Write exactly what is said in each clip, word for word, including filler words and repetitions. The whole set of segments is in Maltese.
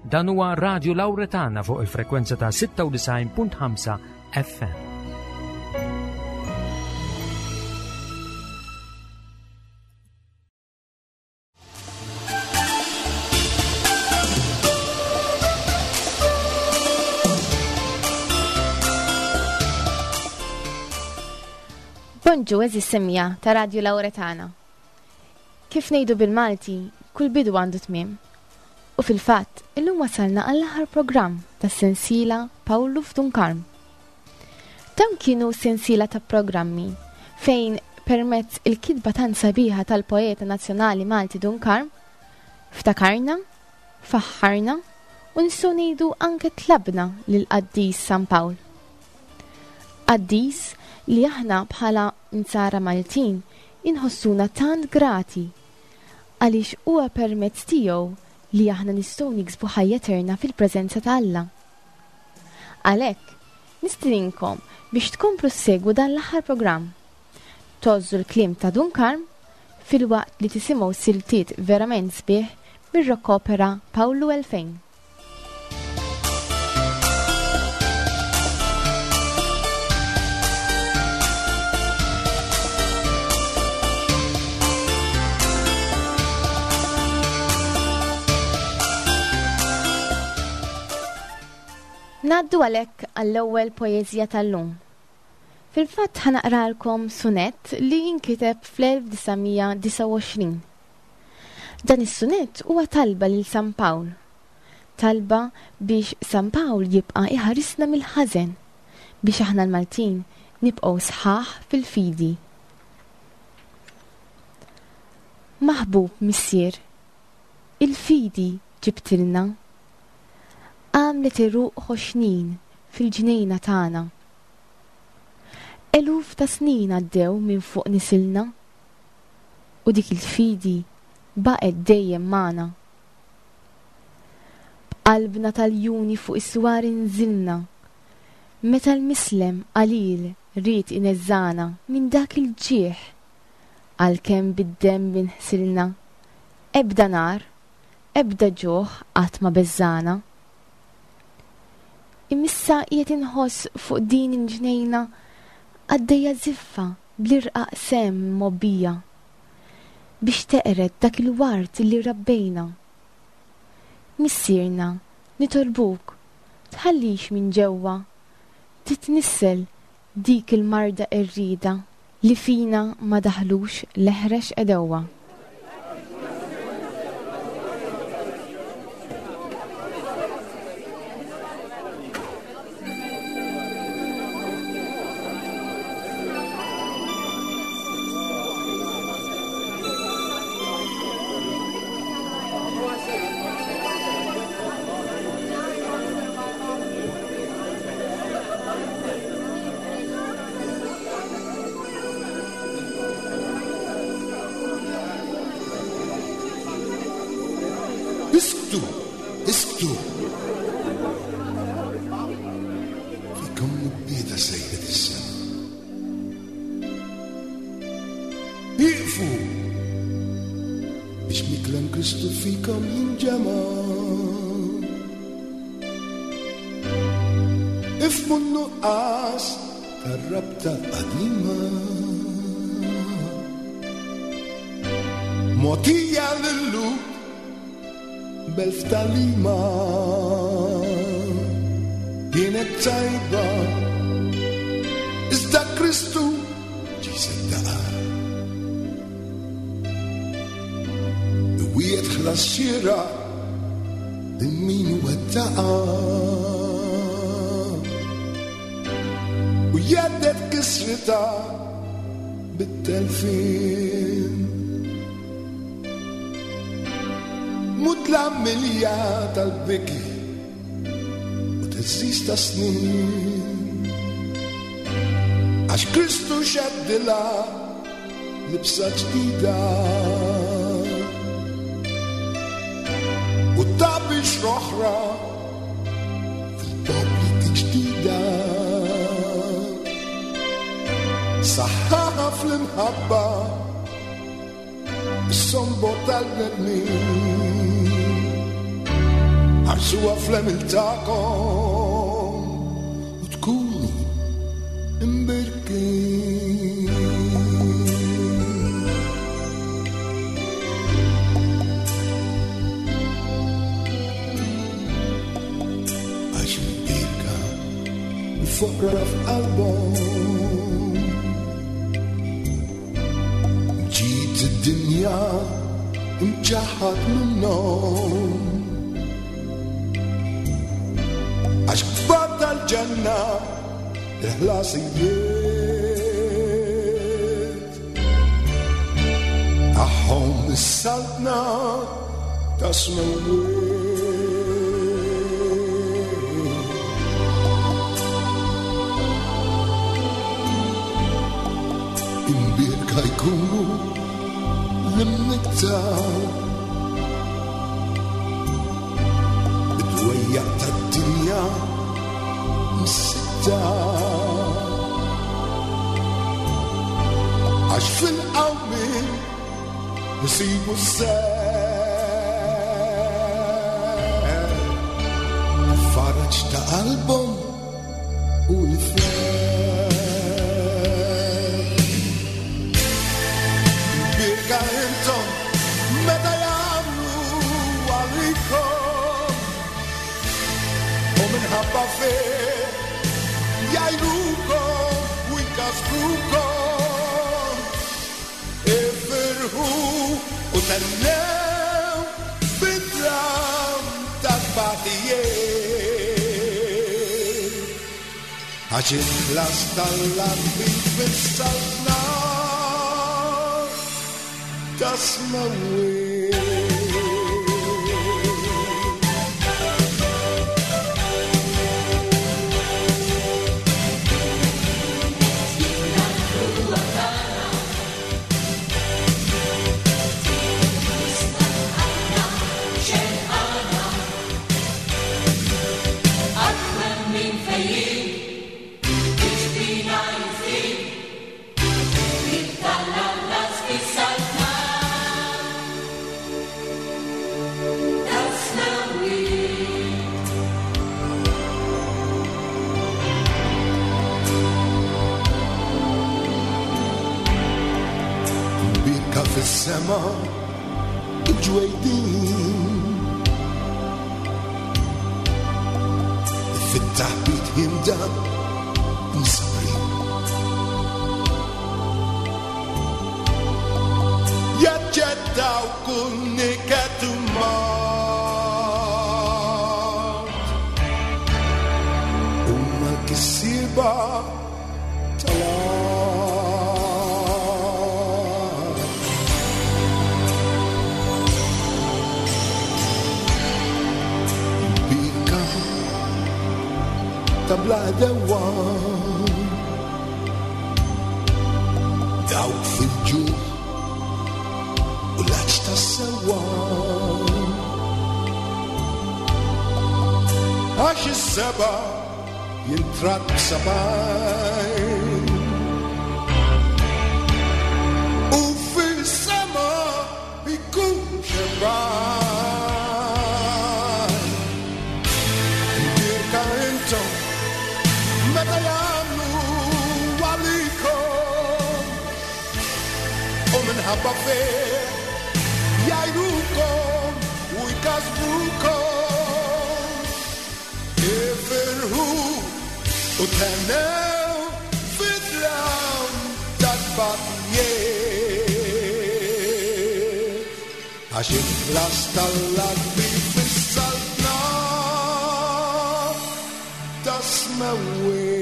Dan huwa Radio Lauretana fuq il-frekwenza ta' sitta u disgħin punt ħamsa F M. Bonġu, għeżież semmiegħa ta' Radio Lauretana. Kif ngħidu bil-Malti, kull bidu għandu tmiem. U fil-fatt, illum wasalna għall-aħħar programm tas sensiela Pawlu f'Dun Karm. Dawn kienu sensiela ta' programmi fejn permezz il-kitba tan sabiħa tal-poeta nazzjonali Malti Dun Karm, ftakarna, faħħarna u nistgħu ngħidu anke tlabna lil qaddis San Pawl. Qaddis li aħna bħala Insara Maltin inħossuna tant grati għaliex huwa permezz tiegħu li aħna nistgħu niksbu ħajja eterna fil-preżenza ta' Alla. Għalhekk, nistedinkom biex tkomplu ssegwu dan l-aħħar programm. Tgħożżu l-kliem ta' Dun Karm filwaqt li tisimgħu siltiet verament sbieħ mir-rock opera Pawlu elfejn. Ngħaddu għalhekk għall-ewwel poeżija tal-lum. Fil-fatt, ħa naqralkom sunet li jinkiteb fl-elf disa' mija disgħa u għoxrin. Dan is-sunet huwa talba lil San Pawl. Talba biex San Pawl jibqa' iħarisna mill-ħażen biex aħna l-Maltin nibqgħu sħaħ fil-fidi. Maħbub Missier, il-fidi ġibtilna, għamlet għeruq ħoxnin fil-ġnejna tagħna. Eluf ta' snin għaddew minn fuq nisilna u dik il-fidi baqgħet dejjem magħna. B'qalbna tal-iljuni fuq is-swar inżilna, meta l-mislem qalil ried ineżżagħna minn dak il-ġieħ, għalkemm bid-demm inħsilna, ebda nar, ebda ġuħ qatt ma beżżagħna. Imma issa qiegħed inħoss fuq din il-ġnejna għaddejja ziffa bl-irqaq semm mgħobbija biex teqred dak il-wart li rabbejna. Missierna, nitolbuk, tħallix minn ġewwa titnissel dik il-marda qerrieda li fina ma daħlux l-eħrex għedewwa. Isktu, isktu. Fikom mibbieda sejħet is-sema. Iqfu! Biex miklem Kristu fikom jinġema. Ifhmu n-nuqqas tar-rabta qadima. Mogħtija lil-Lhud b'elf tagħlima kienet tajba, iżda Kristu ġie jseddaqha. Iwiegħed ħlas xieraq lil min wettaqha u jhedded kisritha bit-telfien. Mudlam milja tal-biki u theżżiż ta' snin. Għax Kristu xeddilha libsa ġdida u ta bixra oħra fil-popli ġdida. Saħħaħha fl-imħabba is-sombor tal-bnedmin. Ħarsuha fl-għemil tagħkom u tkunu imbirkin. Għax imbirka l-foqra f'qalbhom, ġiet id-dinja imċaħħad minnhom. Għax kbar tal-ġenna il-ħlasijiet tagħhom is-saltna ta' smewwiet. Imbierka jkunu l-imnikta bid-dwejjaq tad-dinja msitta, għax fil-qawmien isibu s-seħ faraġ ta' qalbhom u l-ferħ. Imbierka intom meta jagħmlu għalikom u minħabba fih jgħajrukom u jkasbrukom. Ifirħu u tennew bid-dlam tat-tbatijiet, għax il-ħlas tal-ardi fis-saltna tas-smewwiet. Imbierka fis-sema il-ġwejdin, fit-taħbit jimda msabrin. Jaċċettaw kull niket u mard, huma l-kissieba tal-art. Imbierka ta' bla dewa, dawk fil-ġuħ u l-għatx tas-sewwa, għax is-seba' jintrat b'sebgħin u fis-sema jkun xebgħan. Imbierka intom meta jagħmlu għalikom u minħabba fih jgħajrukom u jkasbrukom. Ifirħu u tennew fid-dlam tat-tbatijiet, għax il-ħlas tal-ardi fis-saltna tas-smewwiet.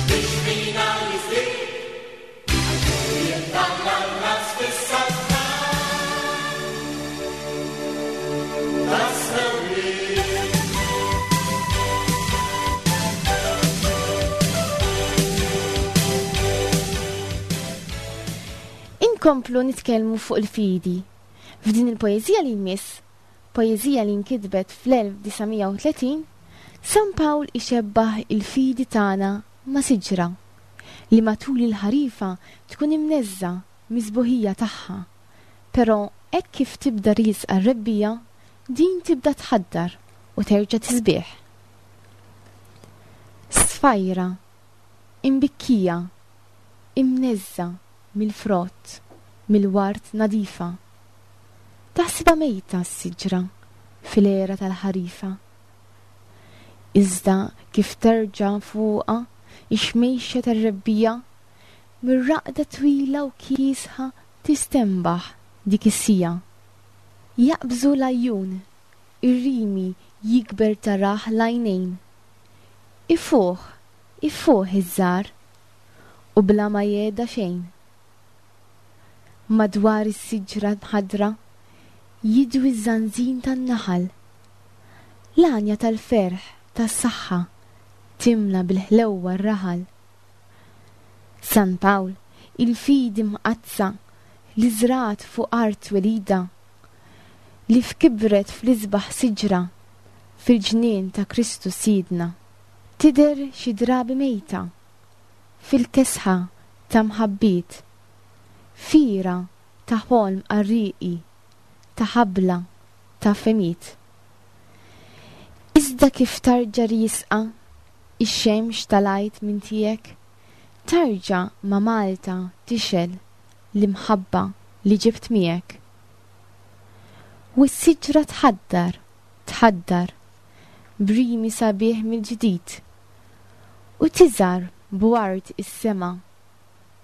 Biex fina jizdi, għax Inkomplu nitkellmu fuq il-fidi. F'din il-poeżija li jmiss, poeżija li nkitbet fl-elf disa' mija u tletin, San Pawl ixebbaħ il-fidi tagħna ma' siġra li matul il-ħarifa tkun imneżża miżbuħija tagħha, però hekk kif tibda riesqa r-rebbija, din tibda tħaddar u terġa' tisbieħ. Sfajra, imbikkija, imneżża mill-frott, mill-ward nadifa. Taħsibha mejta s-siġra fil-era tal-ħarifa. Iżda kif terġa' fuqha ix-xmejxa tar-rebbija, mir-raqda twila u kiesħa tistembaħ dik is-sija. Jaqbżu l-għajjun, ir-rimi jikber taraħ l-għajnejn. Ifuħ, ifuħ iż-żar, u bla ma jeda xejn. Madwar is-siġra mħaddra jidwi ż-żanżin tan-naħal. L-għanja tal-ferħ tas-saħħa timla bil-ħlewwa r-raħal. San Pawl, il-fidi mqaddsa li żrat fuq art twelida, li fkibret fl-isbaħ siġra fil-ġnien ta' Kristu Sidna. Tidher xi drabi mejta fil-kesħa ta' mħabbiet, fira ta' ħolm qarrieqi, ta' ħabla ta' femiet. Iżda kif tarġa' riesqa ix-xemx tal-għid minn tiegħek, tarġa' ma' Malta tixel l-imħabba li ġibt miegħek. U s-siġra tħaddar, tħaddar, brimi sabiħ mill-ġdid, u tiżar b'ward is-sema,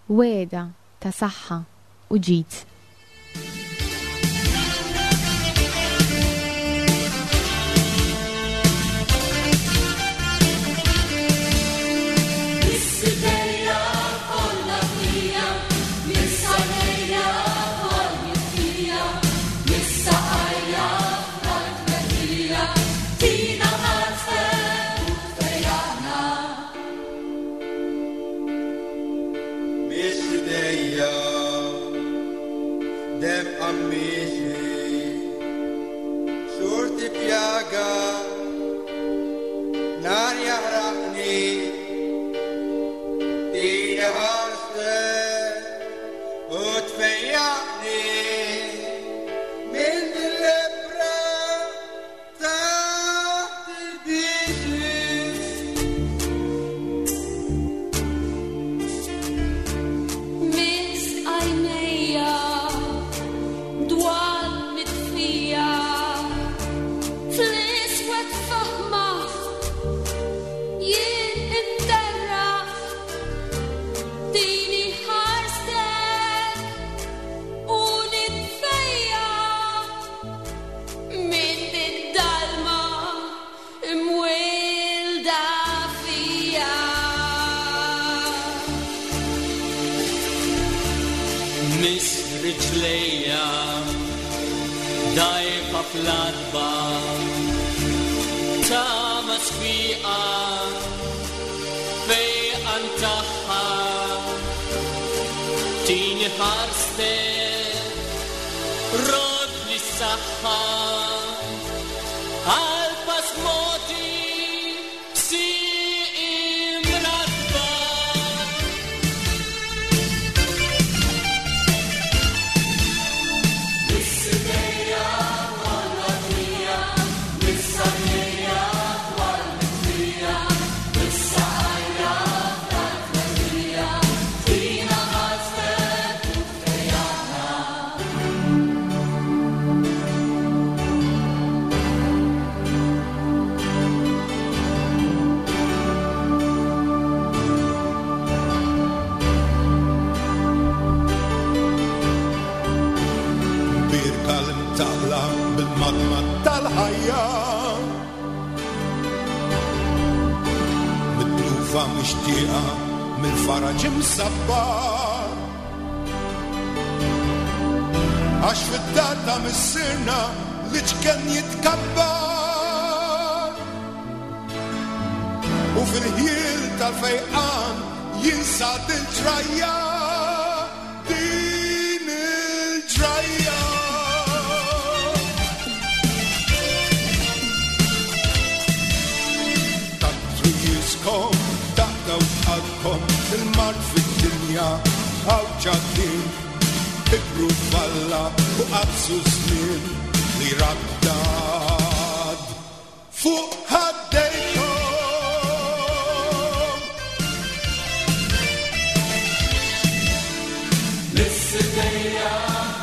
weda ta' saħħa u ġid. Għax fid-dar ta' missierna li ċken jitkabbar, u fil-ħjiel tal-fejqan jinsad il-ġrajja. Din t'Alla u qaddsu żmien li raddad fuq ħaddejkom. L-istejja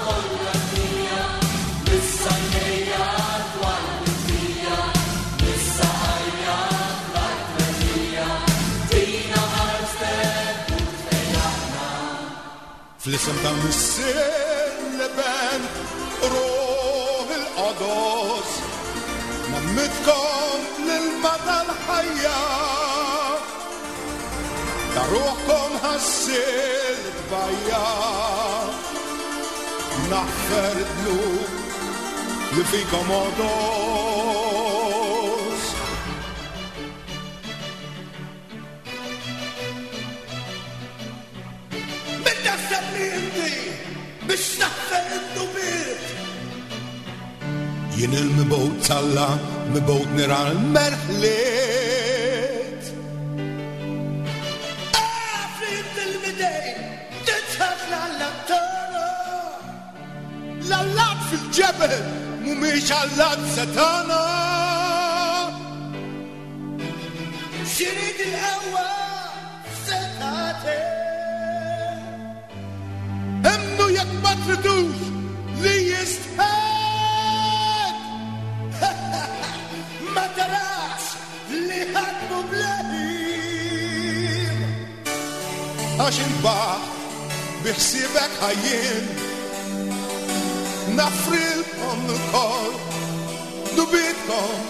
kollha hija, l-sajnejja dwar il-fija, l-saqajja fl-artmerija, tina ħarstek u tfejjaqna. Fl-isem tal-Missier, l-Iben, Ruħ il-Qodus, ngħammidkom l-ilma tal-ħajja. Ta' ruħkom ħassil tbajja, naħfer id-dnub li fikom għodos. Min taħseb li inti biex taħfer id-dnubiet? Jien il-mibgħut t'Alla, mibgħut nira l-merħliet. Af li inti l-midejn titħaf l-Alla tagħna. L-allat fil-ġebel mhumiex allat setana. X'irid il-qawwa f'setgħatek. Emmnu jekk ma tridux li jistħed. Ma tarax li ħadmu bl-għim. Għax il-baħ biħsibek ħajjin, nafrilkom l-kol dubitkom.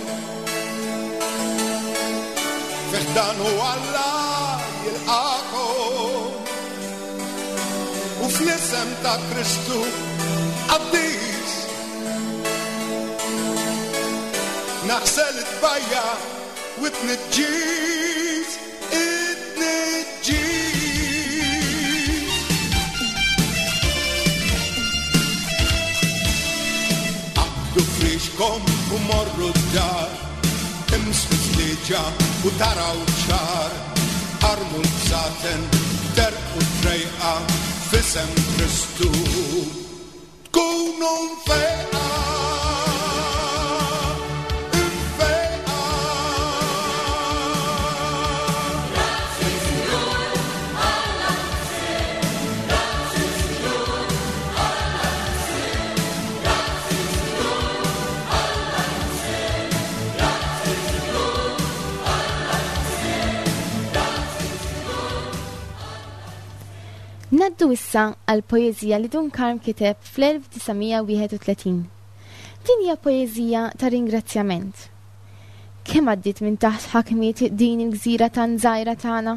Fiħdan u Alla jilqakom, u fl-isem ta' Kristu qaddis naħsel it-tbajja u t-tniġġis, it-tniġġis. Aqdu frixkom u morru d-dar, imsku sliġa u taraw ċar, armu l-bsaten, terqu trejqa, f'isem Kristu tkunu mfejqa. Mfejqa. Naddu issa għal poeżija li Dun Karm kiteb fl-elf disa' mija wieħed u tletin. Din hija poeżija ta' ringrazzjament. Kemm għaddiet minn taħt ħakmiet din il-gżira tan żgħira tagħna?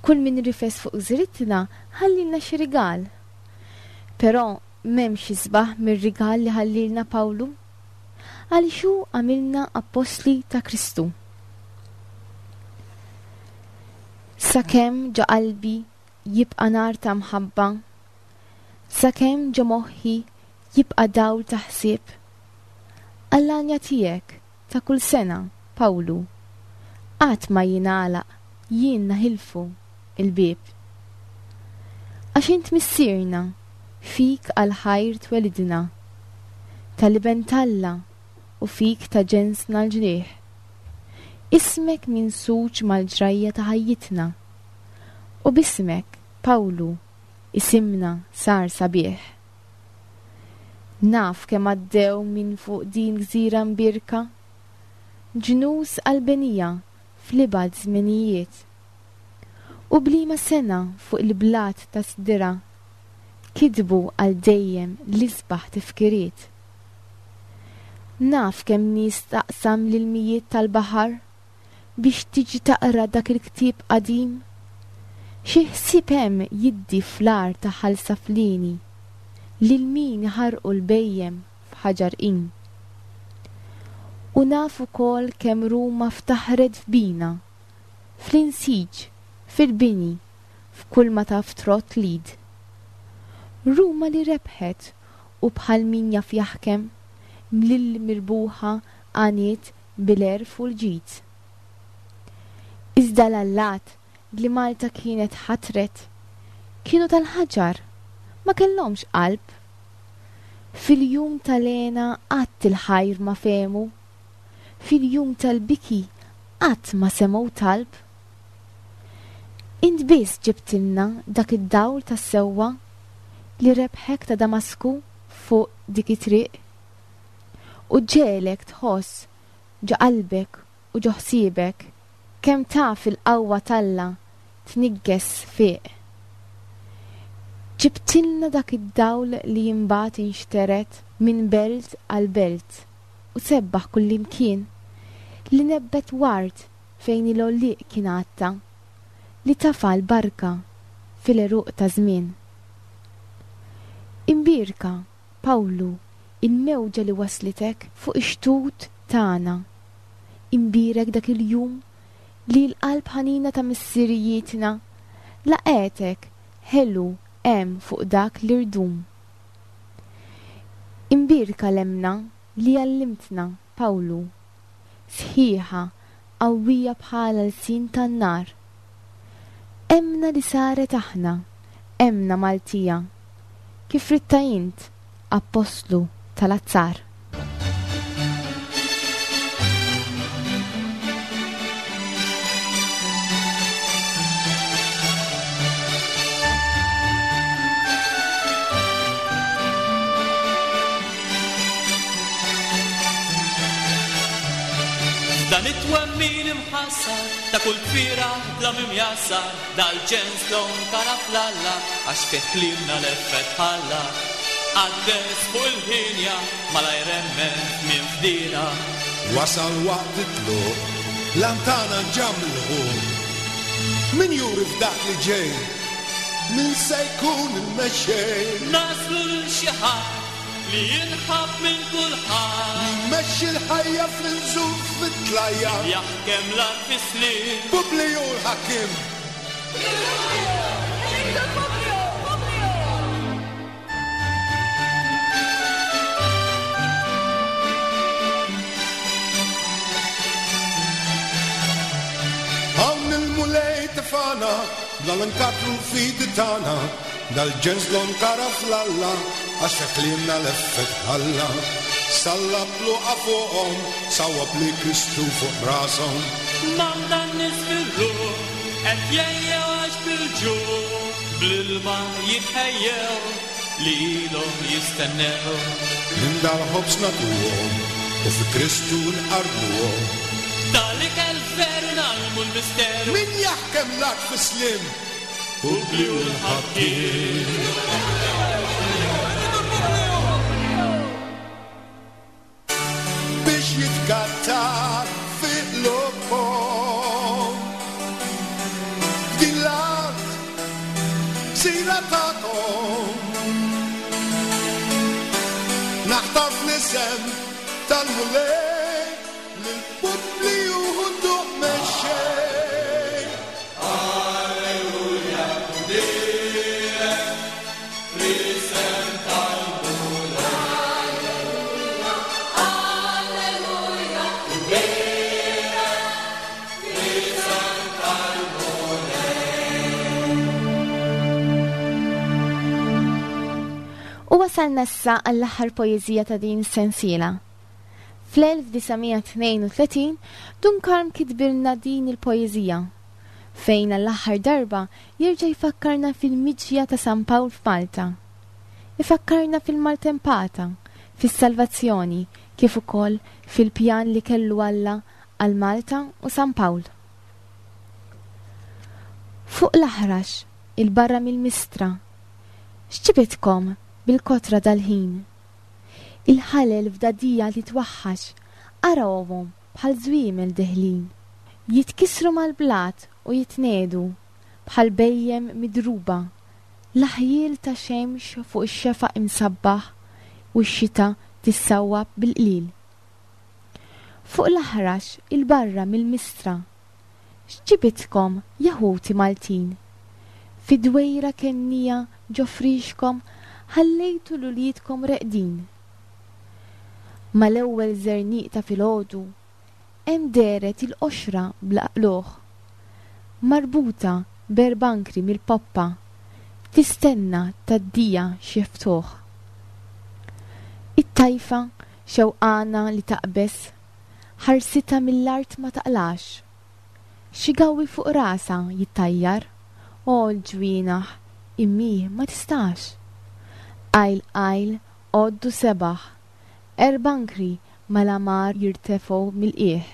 Kull min rifes fuq gżiritna ħallilna xi rigal. Però m'hemmx isbaħ mir-rigal li ħallilna Pawlu, għaliex hu għamilna appostli ta' Kristu. Sakemm ġo qalbi jibqa' nar ta' mħabba, sakemm ġo moħħi jibqa' dawl ta' ħsieb, għall-għanja tiegħek ta' kull sena, Pawlu, qatt ma jingħalaq jien naħilfu il-bieb. Għax int missierna, fik għal-ħajr twelidna, tal-iben t'Alla u fik ta' ġensna l-ġrieħ. Ismek minsuġ mal-ġrajja ta' ħajjitna, u bismek, Pawlu, isimna sar sabiħ. Naf kemm għaddew minn fuq din gżira mbirka, ġnus għall-benija fl-ibgħad żminijiet, u bliema sena fuq il-blat ta' sdira kitbu għal dejjem l-isbaħ tifkiriet. Naf kemm nies taqsam l-ilmijiet tal-baħar biex tiġi taqra dak il-ktieb qadim, xi ħsieb hemm jiddi fl-ar ta' Ħal Saflieni lil min iħarqu l-bejjem f'Ħaġar Qim. U naf ukoll kemm Ruma ftaħret f'bina, fl-insiġ, fil-bini, f'kull ma taf trott l-id. Ruma li rebħet u bħal min jaf jaħkem, mlill mirbuħa għaniet bil-għerf u l-ġid. Iżda l-allat li Malta kienet ħatret kienu tal-ħaġar, ma kellhomx qalb. Fil-jum tal-hena qatt il-ħajr ma fehmu, fil-jum tal-biki qatt ma semgħu talb. Int biss ġibtilna dak id-dawl tas-sewwa li rebħek ta' Damasku fuq dik it-triq u ġegħlek tħoss ġo qalbek u ġo ħsiebek kemm taf il-qawwa t'Alla tnigges fiq. Ġibtilna dak id-dawl li imbagħad inxteret minn belt għal belt u sebbaħ kullimkien, li nebbet ward fejn il-għollieq kien għatta, li tafa l-barka fil-għeruq ta' żmien. Imbierka, Pawlu, il-mewġa li waslitek fuq ix-xtut tagħna. Imbierek dak il-jum li l-qalb ħanina ta' missirijietna laqgħetek ħelu hemm fuq dak l-irdum. Imbierka l-emmna li għallimtna, Pawlu, sħiħa, qawwija bħala l-sin tan-nar. Emmna li saret aħna, emmna Maltija, kif ritta int, appostlu tal-azzar. Dan it-twemmin imħassar ta' kull kfira bla mimjassar, dal-ġens lon kara fl-Alla għax fih kliemna l-effett ħalla. Għaddes fuq il-ħinja malajr emmen minn fdina. Wasal waqt it-tluq, lantana ġamluħu. Min juri f'dak li ġej, min se jkun il-mexxej? Naslu lil xi ħadd li jinħab minn kulħadd. Li jmexxi l-ħajja fl-inżul fit-tlajja. Jaħkem l-art fis-slim. Publiju l-ħakim. Hawn il-Mulej tefana, bla l-nkatru l-fidi tagħna, dal-ġens l kara fl-Alla, għax feklimna l-effett ħalla. Sallab luqa fuqhom, sawab li Kristu fuq rashom. Manda n-nies fil-ruħ, qed jgħejjew għax bil-ġuħ, bl-ilma jitħejjew li ilhom jistennew. Minn dal-ħobż nagħtuhom u fi Kristu nqarrbuhom. Dal-ikel veru nagħlmu l-misteru. Min jaħkem l-art fis-slim? Publiju l-ħakkiem. Biex jitkattar fil-lobhom. F'din l-art sira tagħkom. Naħtar fl-isem tal-Mulej lil Publiju ħudduh mexxej. Alleluja, direk fl-isem tal-Mulej. Alleluja, direk fl-isem tal-Mulej. U wasalna issa għall-aħħar poeżija ta' din is-sensiela. Fl-elf disa' mija tnejn u tletin Dun Karm kitbilna din il-poeżija, fejn għall-aħħar darba jerġa' jfakkarna fil-miġja ta' San Pawl f'Malta. Ifakkarna fil-maltempata, fis-salvazzjoni, kif ukoll fil-pjan li kellu Alla għal Malta u San Pawl. Fuq l-aħrax, il-barra mill-mistra, x'ġibitkom bil-kotra dal-ħin? Il-ħalel f'dadija li twaħħax, arawhom bħal żwiemel deħlin. Jitkisru mal-blat u jitnedu bħal bejjem midruba, l-aħjiel ta' xemx fuq ix-xefaq imsabbaħ u x-xita tissawwab bil-qlil. Fuq l-aħrax il-barra mill-mistra, x'ġibitkom jaħuti Maltin? Fid-dwejra kennija ġo frixkom ħallejtu l-uliedkom reqdin. Mal-ewwel żerniq ta' filgħodu hemm dehret il-qoxra bla qlugħ, marbuta b'erbankri mill-poppa, tistenna tgħaddija xi ftuħ. It-tajfa xewqana li taqbeż, ħarsitha mill-art ma taqlax. Xi gawwi fuq rasha jittajjar, o l-ġwienaħ immi ma tistax. Qajl qajl għoddu sebaħ, erbankri mal-amar jirtefgħu mill-qiegħ.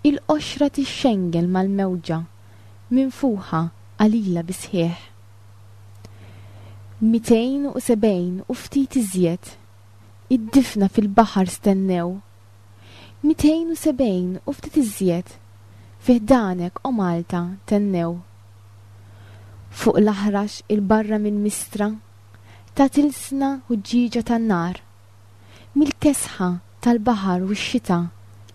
Il-qoxra tixxengel mal-mewġa, minfuħa qalila bisħieħ. Mitejn u sebgħin u ftit iżjed, id-difna fil-baħar stennew. Mitejn u sebgħin u ftit iżjed, fi ħdanek o Malta tennew. Fuq l-aħrax il-barra minn Mistra, ta' tilsna ħuġġieġa tan-nar. Mill-kesħa tal-baħar u x-xita,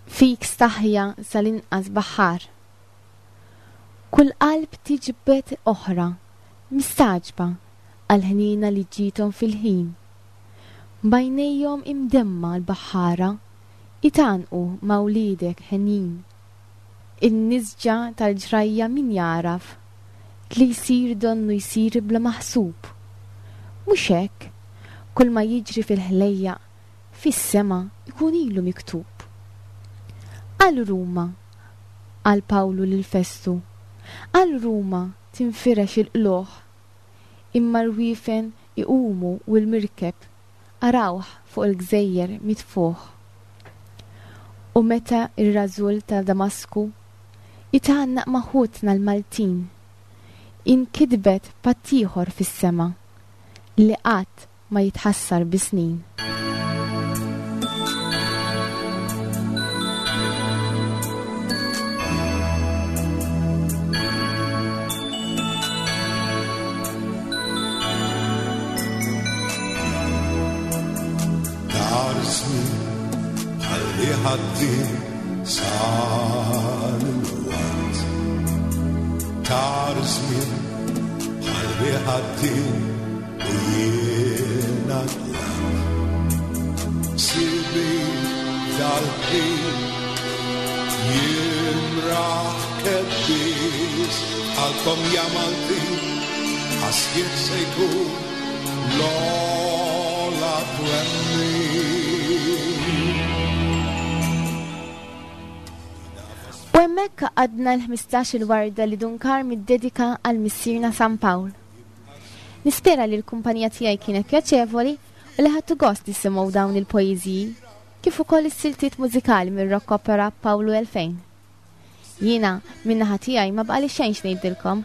fik staħja sal-inqas baħar. Kull qalb tiġbed oħra, mistagħġba għal-ħnina li ġiethom fil-ħin. Bajnejhom imdemma l-baħħara, itanqu ma' wliedek ħenin. In-nisġa tal-ġrajja min jaraf, li jsir donnu jsir bla maħsub. Mhux hekk, kull ma jiġri fil-ħlejjaq, fis-sema jkun ilu miktub. Għal Ruma, għal Pawlu lil Festu, għal Ruma tinfirex il-qlugħ, imma rwifen iqumu u l-mirkeb arawh fuq il-gżejjer mitfuħ. U meta ir-rażul ta' Damasku itgħannaq ma' ħutna l-Maltin, inkitbet patt ieħor fis-sema li qatt ma jitħassar bis-snin. Ħalli ħaddi sar il-waqt. Tar żmien ħalli ħaddi u jiena tlaqt. Sibi dal-ħin jimraħ kebbis għalkom ja Maltin għasjiet se jkun l-ogħla twemmin. U hemmhekk għadna l-ħmistax il-warda li Dun Karm iddedika għal missierna San Pawl. Nispera li l-kumpanija tiegħi kienet pjaċevoli u li ħadtu gost tisimgħu dawn il-poeżiji kif ukoll is-siltiet mużikali mir-rock opera Pawlu elfejn. Jiena min-naħa tiegħi ma baqali xejn x'ngħidilkom,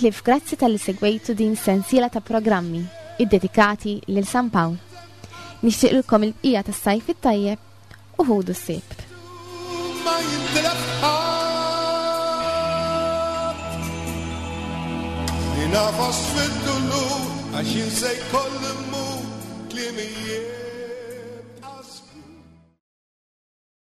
ħlief grazzi talli segwejtu din sensiela ta' programmi iddedikati lil San Pawl. Nixtieqilkom il-bqija tas-sajf it-tajjeb u ħudu s-sibt. Ma jintilef ħadd. Ninafas fid-dulur għax jien se jkolli mmur klimijiet.